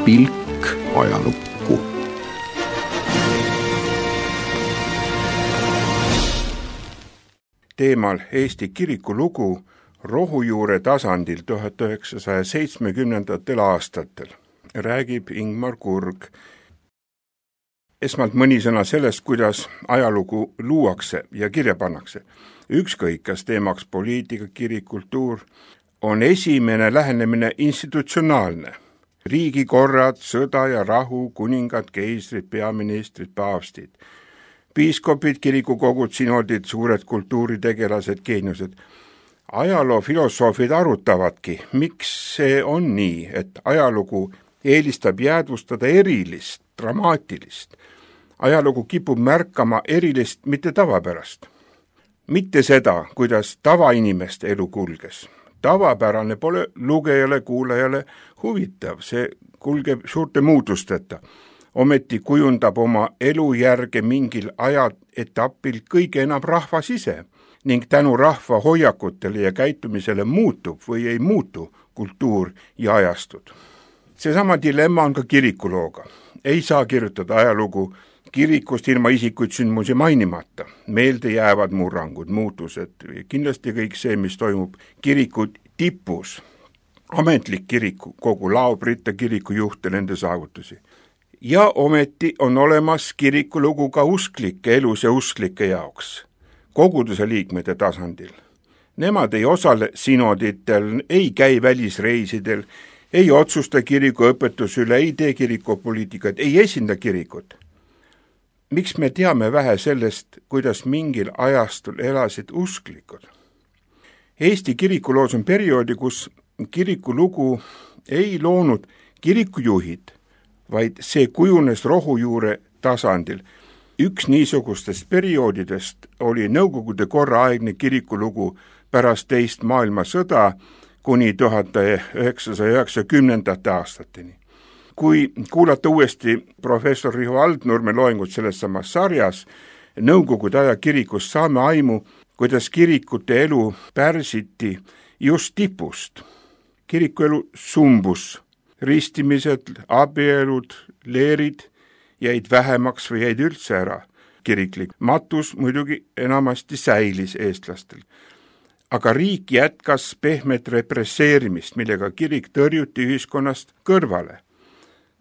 pilk ajalukku. Teemal Eesti kiriku lugu rohujuure tasandil 1970. aastatel räägib Ingmar Kurg. Esmalt mõni sõna sellest, kuidas ajalugu luuakse ja kirja pannakse. Ükskõik, kas teemaks poliitika, kirik, kultuur, on esimene lähenemine institutsionaalne. Riigikorrad, sõda ja rahu, kuningad, keisrid, peaministrid, paavstid, piiskopid, kirikukogud, sinodid, suured kultuuritegelased, geeniused. Ajaloofilosoofid arutavadki, miks see on nii, et ajalugu eelistab jäädvustada erilist, dramaatilist. Ajalugu kipub märkama erilist, mitte tavapärast. Mitte seda, kuidas tavainimeste elu kulges. Tavapärane pole lugejale, kuulajale huvitav, see kulgeb suurte muutusteta. Ometi kujundab oma elu järge mingil ajaetapil kõige enam rahvas ise ning tänu rahva hoiakutele ja käitumisele muutub või ei muutu kultuur ja ajastud. Seesama dilemma on ka kirikulooga. Ei saa kirjutada ajalugu kirikust ilma isikuid sündmusi mainimata. Meelde jäävad murrangud, muutused, kindlasti kõik see, mis toimub kiriku tipus. Ametlik kiriku, kogu laobrite kirikujuht ja nende saavutusi. Ja ometi on olemas kirikulugu ka usklike elus ja usklike jaoks, koguduse liikmete tasandil. Nemad ei osale sinoditel, ei käi välisreisidel, ei otsusta kiriku õpetus üle, ei tee kirikupoliitikat, ei esinda kirikut. Miks me teame vähe sellest, kuidas mingil ajastul elasid usklikud? Eesti kirikuloos on perioodi, kus kirikulugu ei loonud kirikujuhid, vaid see kujunes rohujuure tasandil. Üks niisugustest perioodidest oli Nõukogude korraaegne kirikulugu pärast teist maailmasõda kuni 1990. aastateni. Kui kuulata uuesti professor Riho Aldnurme loengut selles samas sarjas Nõukogude aja kirikust, saame aimu, kuidas kirikute elu pärsiti just tipust. Kirikuelu sumbus. Ristimised, abielud, leerid jäid vähemaks või jäid üldse ära. Kiriklik matus muidugi enamasti säilis eestlastel. Aga riik jätkas pehmet represseerimist, millega kirik tõrjuti ühiskonnast kõrvale.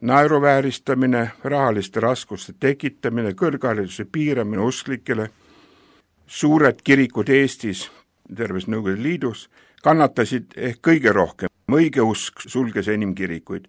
Naeruvääristamine, rahaliste raskuste tekitamine, kõrghariduse piiramine usklikele, suured kirikud Eestis, terves Nõukogude Liidus, kannatasid ehk kõige rohkem. Õigeusk sulges enim kirikuid.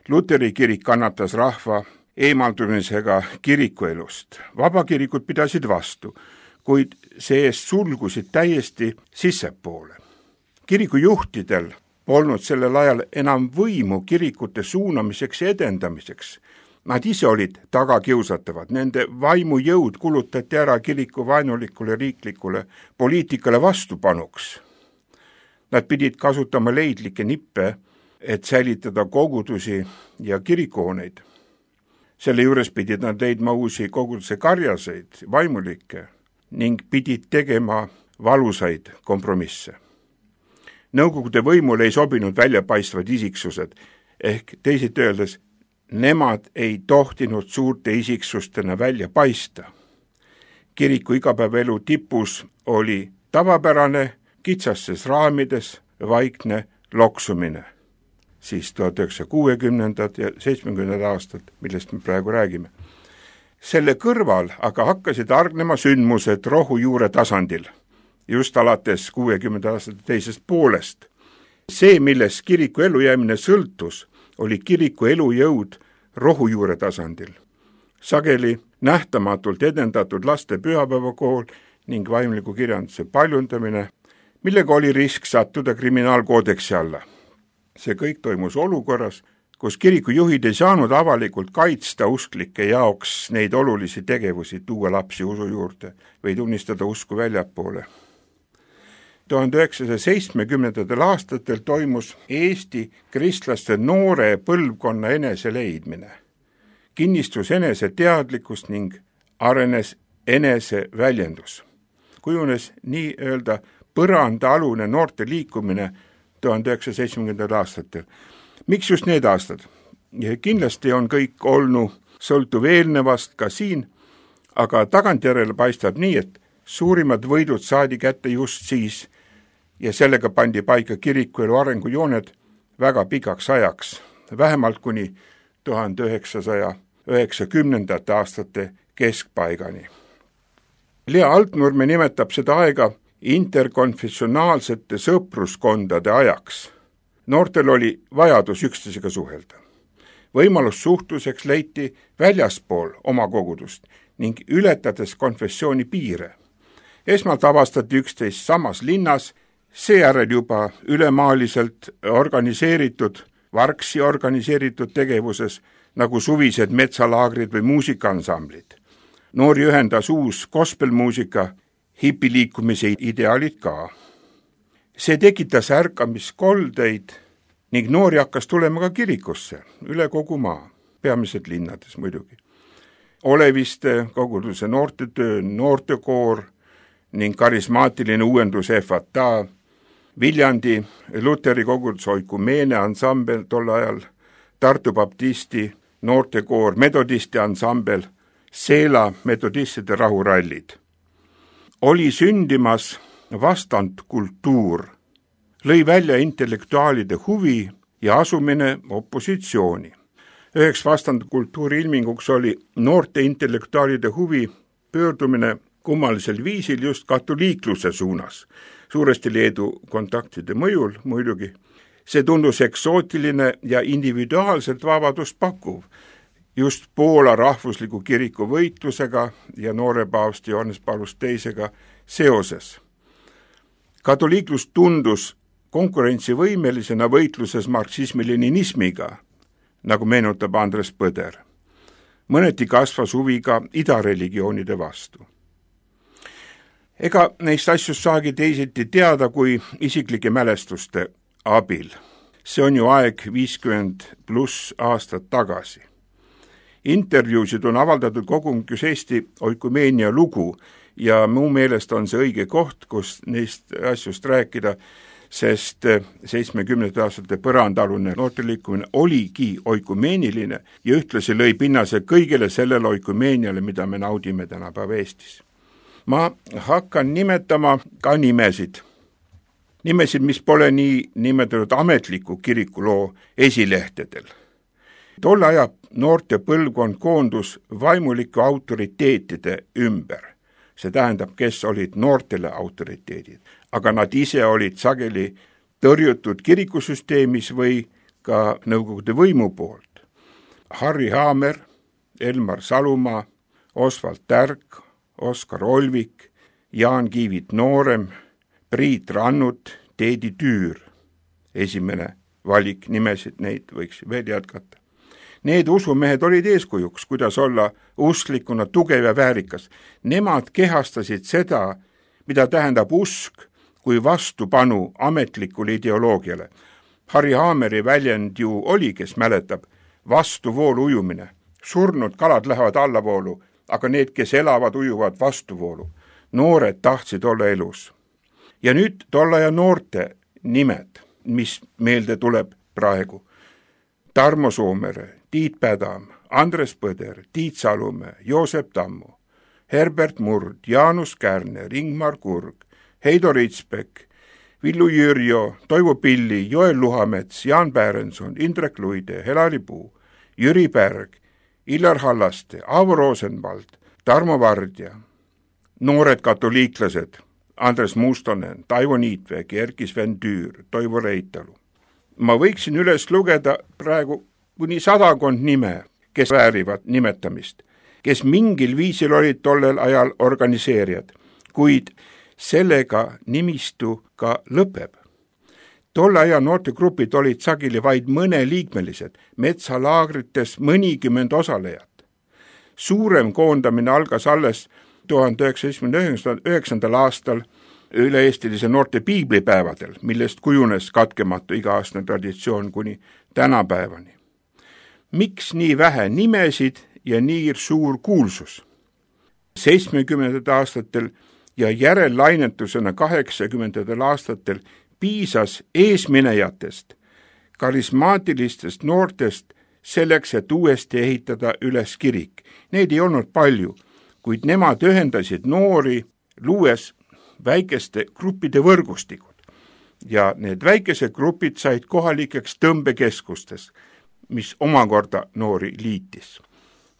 Luteri kirik kannatas rahva eemaldumisega kirikuelust. Vabakirikud pidasid vastu, kuid see-eest sulgusid täiesti sissepoole. Kirikujuhtidel polnud sellel ajal enam võimu kirikute suunamiseks ja edendamiseks. Nad ise olid tagakiusatavad, nende vaimujõud kulutati ära kiriku vaenulikule riiklikule poliitikale vastupanuks. Nad pidid kasutama leidlikke nippe, et säilitada kogudusi ja kirikuhooneid. Selle juures pidid nad leidma uusi koguduse karjaseid, vaimulikke ning pidid tegema valusaid kompromisse. Nõukogude võimule ei sobinud väljapaistvad isiksused, ehk teisiti öeldes, nemad ei tohtinud suurte isiksustena välja paista. Kiriku igapäevaelu tipus oli tavapärane, kitsastes raamides vaikne loksumine. Siis 1960. ja 70. aastad, millest me praegu räägime. Selle kõrval aga hakkasid argnema sündmused rohujuure tasandil, just alates 60. aastate teisest poolest. See, milles kiriku elujäämine sõltus, oli kiriku elujõud rohujuure tasandil. Sageli nähtamatult edendatud laste pühapäevakool ning vaimliku kirjanduse paljundamine, millega oli risk sattuda kriminaalkoodeksi alla. See kõik toimus olukorras, kus kirikujuhid ei saanud avalikult kaitsta usklike jaoks neid olulisi tegevusi, tuua lapsi usu juurde või tunnistada usku väljapoole. 1970. aastatel toimus Eesti kristlaste noore põlvkonna eneseleidmine. Kinnistus eneseteadlikkus ning arenes eneseväljendus. Kujunes nii-öelda põrandaalune noorte liikumine 1970. aastatel. Miks just need aastad? Ja kindlasti on kõik olnud sõltuv eelnevast ka siin, aga tagantjärele paistab nii, et suurimad võidud saadi kätte just siis ja sellega pandi paika kirikuelu arengujooned väga pikaks ajaks, vähemalt kuni 1990. aastate keskpaigani. Lea Altnurme nimetab seda aega interkonfessionaalsete sõpruskondade ajaks. Noortel oli vajadus üksteisega suhelda. Võimalus suhtluseks leiti väljaspool oma kogudust ning ületades konfessiooni piire. Esmalt avastati üksteist samas linnas, seejärel juba ülemaaliselt vargsi organiseeritud tegevuses, nagu suvised metsalaagrid või muusikaaansamblid. Noori ühendas uus gospelmuusika, hipiliikumise ideaalid ka. See tekitas ärkamiskoldeid ning noori hakkas tulema ka kirikusse üle kogu maa, peamiselt linnades muidugi. Oleviste koguduse noortetöö, noortekoor ning karismaatiline uuendus FATA, Viljandi Luteri koguduse oikumeene ansambel tol ajal, Tartu baptisti noortekoor, metodisti ansambel, Seela metodistide rahurallid. Oli sündimas vastandkultuur, lõi välja intellektuaalide huvi ja asumine opositsiooni. Üheks vastandkultuuri ilminguks oli noorte intellektuaalide huvi pöördumine kummalisel viisil just katoliikluse suunas, suuresti Leedu kontaktide mõjul muidugi. See tundus eksootiline ja individuaalselt vabadust pakkuv, just Poola rahvusliku kiriku võitlusega ja noore paavsti Johannes Paulus II seoses. Katoliiklus tundus konkurentsivõimelisena võitluses marksismi-leninismiga, nagu meenutab Andres Põder. Mõneti kasvas huvi ka idareligioonide vastu. Ega neist asjust saagi teisiti teada kui isiklike mälestuste abil. See on ju aeg 50+ aastat tagasi. Intervjuusid on avaldatud kogumikus Eesti oikumeenia lugu ja mu meelest on see õige koht, kus neist asjust rääkida, sest 70. aastate põrandaalune noorteliikumine oligi oikumeeniline ja ühtlasi lõi pinnase kõigele sellele oikumeeniale, mida me naudime tänapäeva Eestis. Ma hakkan nimetama ka nimesid, mis pole nii nimetatud ametliku kirikuloo esilehtedel. Tolle aja noorte põlvkond koondus vaimulike autoriteetide ümber. See tähendab, kes olid noortele autoriteedid, aga nad ise olid sageli tõrjutud kirikusüsteemis või ka Nõukogude võimu poolt. Harri Haamer, Elmar Salumaa, Osvald Tärk, Oskar Olvik, Jaan Kiivit Noorem, Priit Rannut, Teedi Tüür. Esimene valik nimesid, neid võiks veel jätkata. Need usumehed olid eeskujuks, kuidas olla usklikuna tugev ja väärikas. Nemad kehastasid seda, mida tähendab usk kui vastupanu ametlikule ideoloogiale. Harri Haameri väljend ju oli, kes mäletab, vastuvoolu ujumine. Surnud kalad lähevad allavoolu, aga need, kes elavad, ujuvad vastuvoolu. Noored tahtsid olla elus. Ja nüüd tolle ja noorte nimed, mis meelde tuleb praegu. Tarmo Soomere, Tiit Pädam, Andres Põder, Tiit Salumäe, Joosep Tammu, Herbert Murd, Jaanus Kärner, Ingmar Kurg, Heido Ritsbek, Villu Jürjo, Toivo Pilli, Joel Luhamets, Jaan Pärenson, Indrek Luide, Helari Puu, Jüri Pärg, Illar Hallaste, Aavo Rosenvald, Tarmo Vardja, noored katoliiklased, Andres Mustonen, Taivo Niitvägi, Erki Sven Tüür, Toivo Reitalu. Ma võiksin üles lugeda praegu kuni 100 nime, kes väärivad nimetamist, kes mingil viisil olid tollel ajal organiseerijad, kuid sellega nimistu ka lõpeb. Tolle aja noortegrupid olid sageli vaid mõneliikmelised, metsalaagrites mõnikümmend osalejat. Suurem koondamine algas alles 1979. aastal üle-eestilise noorte piiblipäevadel, millest kujunes katkematu iga-aastane traditsioon kuni tänapäevani. Miks nii vähe nimesid ja nii suur kuulsus? 70. aastatel ja järellainetusena 80. aastatel piisas eesminejatest, karismaatilistest noortest selleks, et uuesti ehitada üles kirik. Neid ei olnud palju, kuid nemad ühendasid noori, luues väikeste gruppide võrgustikud. Ja need väikesed grupid said kohalikeks tõmbekeskustes, mis omakorda noori liitis.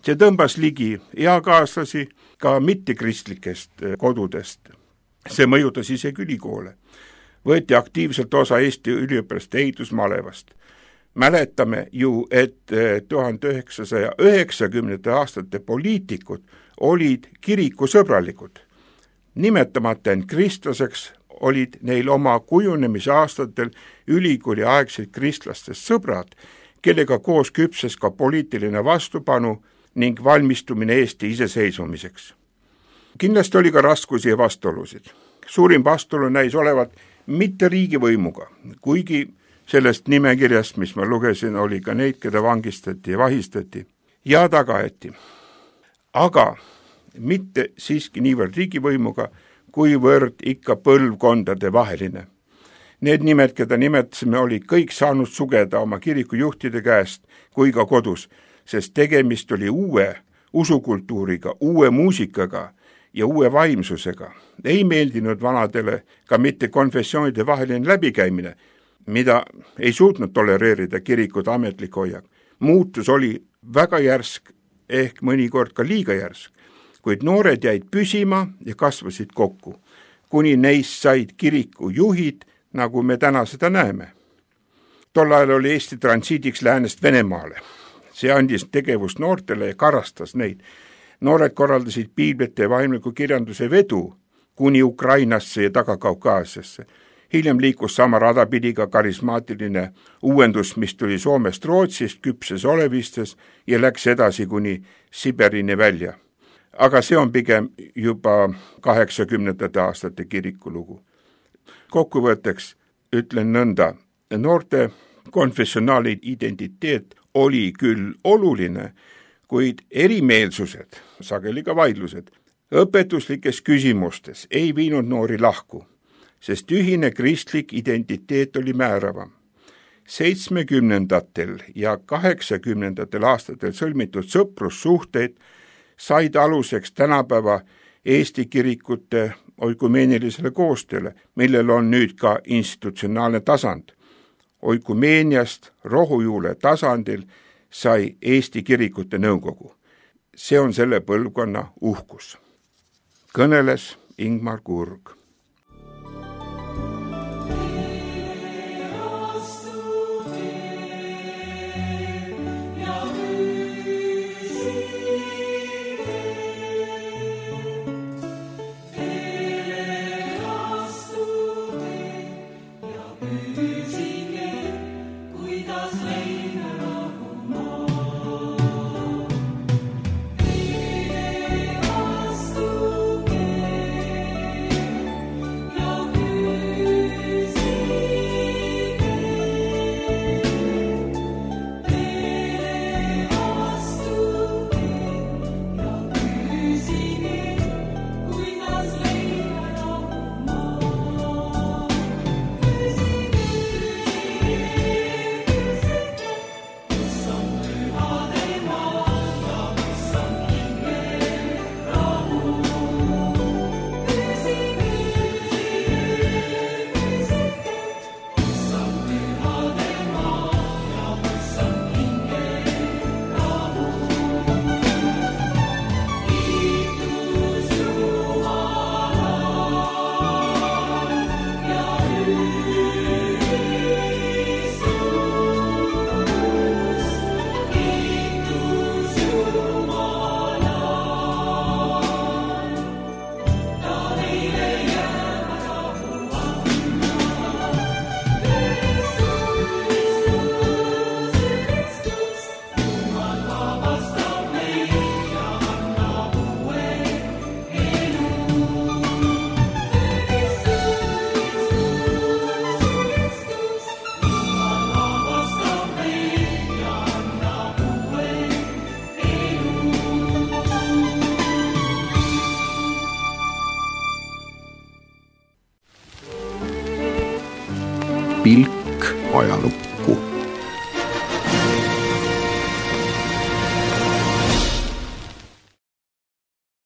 See tõmbas ligi eakaaslasi ka mittekristlikest kodudest. See mõjutas isegi ülikoole. Võeti aktiivselt osa Eesti üliõpilaste ehitusmalevast. Mäletame ju, et 1990. aastate poliitikud olid kirikusõbralikud. Nimetamata end kristlaseks olid neil oma kujunemise aastatel ülikooli aegsid kristlastest sõbrad, kellega koos küpses ka poliitiline vastupanu ning valmistumine Eesti iseseisvumiseks. Kindlasti oli ka raskusi ja vastuolusid. Suurim vastuolu näis olevat mitte riigivõimuga, kuigi sellest nimekirjast, mis ma lugesin, oli ka neid, keda vangistati ja vahistati ja tagaeti. Aga mitte siiski niivõrd riigivõimuga, kuivõrd ikka põlvkondade vaheline. Need nimed, keda nimetasime, oli kõik saanud sugeda oma kirikujuhtide käest kui ka kodus, sest tegemist oli uue usukultuuriga, uue muusikaga ja uue vaimsusega. Ei meeldinud vanadele ka mitte konfessioonide vaheline läbikäimine, mida ei suutnud tolereerida kirikud ametlik hoiak. Muutus oli väga järsk, ehk mõnikord ka liiga järsk, kuid noored jäid püsima ja kasvasid kokku, kuni neist said kiriku juhid, nagu me täna seda näeme. Tol ajal oli Eesti transiidiks läänest Venemaale. See andis tegevust noortele ja karastas neid. Noored korraldasid piiblite ja vaimliku kirjanduse vedu kuni Ukrainasse ja Taga-Kaukaasiasse. Hiljem liikus sama radapidi ka karismaatiline uuendus, mis tuli Soomest, Rootsist, küpses olevistes ja läks edasi kuni Siberini välja. Aga see on pigem juba 80. aastate kirikulugu. Kokkuvõtteks ütlen nõnda, noorte konfessionaali identiteet oli küll oluline, kuid erimeelsused, sageli ka vaidlused, õpetuslikes küsimustes ei viinud noori lahku, sest ühine kristlik identiteet oli määravam. 70. ja 80. aastatel sõlmitud sõprussuhteid said aluseks tänapäeva Eesti kirikute oikumeenilisele koostööle, millel on nüüd ka institutsionaalne tasand. Oikumeeniast rohujuule tasandil sai Eesti kirikute nõukogu. See on selle põlvkonna uhkus. Kõneles Ingmar Kurg. Pilk ajalukku.